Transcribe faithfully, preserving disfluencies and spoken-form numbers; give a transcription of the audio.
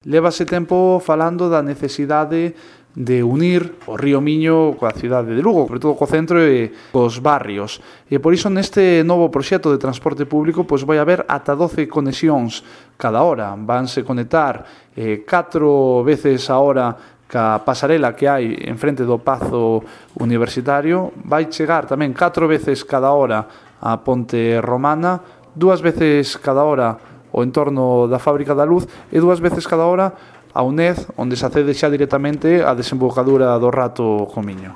Lévase tempo falando da necesidade de unir o río Miño coa cidade de Lugo, sobre todo co centro e cos barrios. E por iso neste novo proxecto de transporte público pois vai haber ata doce conexións cada hora. Vanse conectar eh, catro veces a hora ca pasarela que hai en frente do Pazo Universitario. Vai chegar tamén catro veces cada hora a Ponte Romana, dúas veces cada hora o entorno da Fábrica da Luz e dúas veces cada hora a UNED, onde se accede xa directamente á desembocadura do Rato co Miño.